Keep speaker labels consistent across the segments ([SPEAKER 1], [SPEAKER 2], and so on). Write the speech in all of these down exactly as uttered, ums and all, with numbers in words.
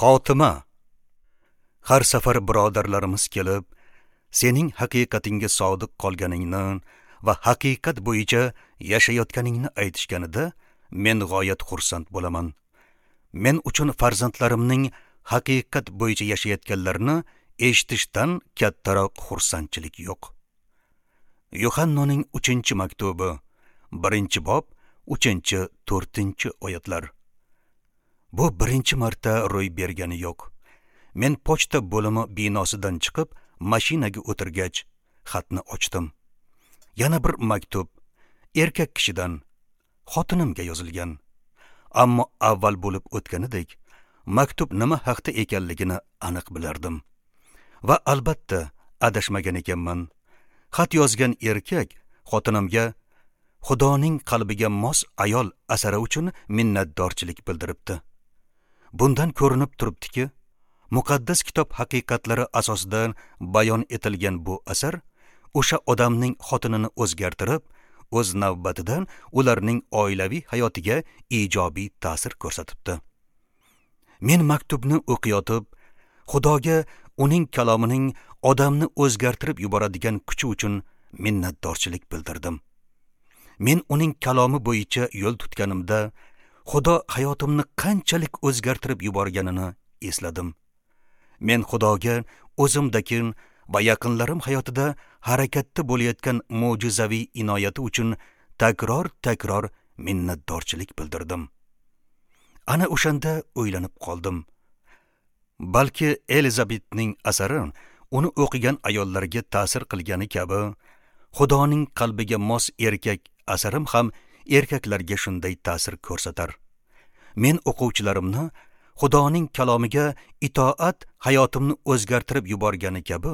[SPEAKER 1] Xotima. Har safar birodarlarimiz kelib, sening haqiqatingga sodiq qolganingni va haqiqat bo'yicha yashayotganingni aytishganida men g'oyat xursand bo'laman. Men uchun farzandlarimning haqiqat bo'yicha yashayotganlarini eshitishdan kattaroq xursandchilik yo'q. Yuhannoning uchinchi maktubi, birinchi bob, uchinchi, to'rtinchi oyatlar. Bu birinchi marta ro'y bergani yo'q. Men pochta bo'limi binosidan chiqib, mashinaga o'tirgach, xatni ochdim. Yana bir maktub erkak kishidan xotinimga yozilgan. Ammo avval bo'lib o'tganidek, maktub nima haqda ekanligini aniq bilardim. Va albatta adashmagan ekanman. Xat yozgan erkak xotinimga Xudoning qalbiga mos ayol asari uchun minnatdorchilik bildiribdi. Bundan ko'rinib turibdiki, muqaddas kitob haqiqatlari asosida bayon etilgan bu asar o'sha odamning xotinini o'zgartirib, o'z navbatidan ularning oilaviy hayotiga ijobiy ta'sir ko'rsatibdi. Men maktubni o'qiyotib, Xudoga uning kalomining odamni o'zgartirib yuboradigan kuchi uchun minnatdorchilik bildirdim. Men uning kalomi bo'yicha yo'l tutganimda, Xudo hayotimni qanchalik o'zgartirib yuborganini esladim. Men Xudoga o'zimdagi va yaqinlarim hayotida harakatda bo'layotgan mo'jizaviy inoyati uchun takror-takror minnatdorchilik bildirdim. Ana o'shanda o'ylanib qoldim. Balki Elizabetning asari uni o'qigan ayollarga ta'sir qilgani kabi, Xudoning qalbiga mos erkak asarim ham erkaklarga shunday ta'sir ko'rsatar. Men o'quvchilarimni Xudoning kalomiga itoat hayotimni o'zgartirib yuborgani kabi,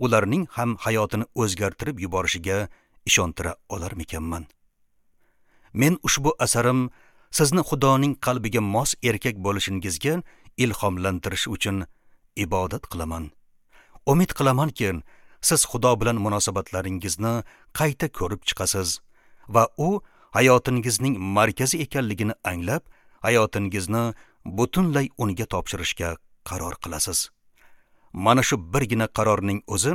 [SPEAKER 1] ularning ham hayotini o'zgartirib yuborishiga ishontira olarmikanman? Men ushbu asarim sizni Xudoning qalbiga mos erkak bo'lishingizga ilhomlantirish uchun ibodat qilaman. Umid qilamanki, siz Xudo bilan munosabatlaringizni qayta ko'rib chiqasiz va u hayotingizning markazi ekanligini anglab, hayotingizni butunlay unga topshirishga qaror qilasiz. Mana shu birgina qarorning o'zi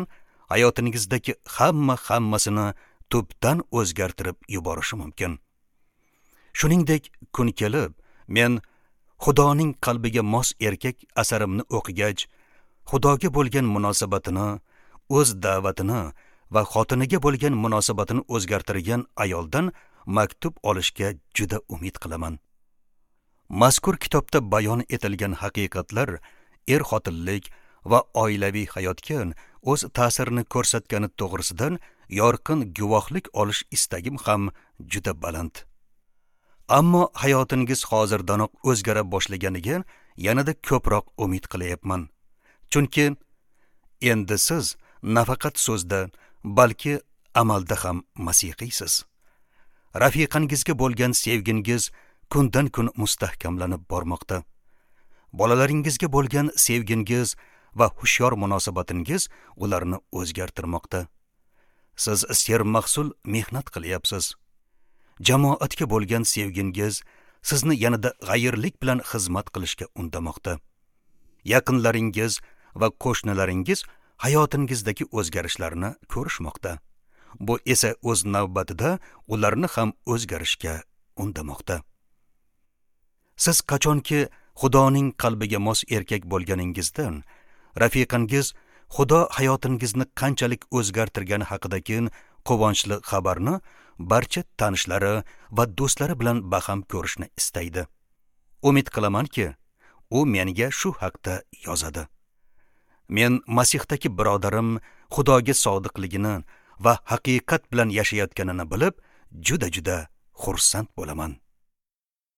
[SPEAKER 1] hayotingizdagi hamma hammasini tubdan o'zgartirib yuborishi mumkin. Shuningdek, kun kelib, men Xudoning qalbiga mos erkak asarimni o'qigach, Xudoga bo'lgan munosabatini, o'z da'vatini va xotiniga bo'lgan munosabatini o'zgartirgan ayoldan maktub olishga juda umid qilaman. Mazkur kitobda bayon etilgan haqiqatlar er-xotinlik va oilaviy hayotga o'z ta'sirini ko'rsatgani to'g'risidan yorqin guvohlik olish istagim ham juda baland. Ammo hayotingiz hozirdanoq o'zgara boshlaganiga yanada ko'proq umid qilyapman. Chunki endi siz nafaqat so'zda, balki amalda ham masihiysiz. Rafiqangizga bo'lgan sevgingiz kundan kun mustahkamlanib bormoqda. Bolalaringizga bo'lgan sevgingiz va hushyor munosabatingiz ularni o'zgartirmoqda. Siz sermahsul mehnat qilyapsiz. Jamoatga bo'lgan sevgingiz sizni yanada g'ayirlik bilan xizmat qilishga undamoqda. Yaqinlaringiz va qo'shnilaringiz hayotingizdagi o'zgarishlarni ko'rishmoqda. Bu esa o'z navbatida ularni ham o'zgarishga undamoqda. Siz qachonki Xudoning qalbiga mos erkak bo'lganingizdan, rafiqangiz Xudo hayotingizni qanchalik o'zgartirgani haqidagi quvonchli xabarni barcha tanishlari va do'stlari bilan baham ko'rishni istaydi. Umid qilamanki, u menga shu haqda yozadi. Men Masihdagi birodarim Xudoga sodiqligini va haqiqat bilan yashayotganini bilib, juda-juda xursand bo'laman.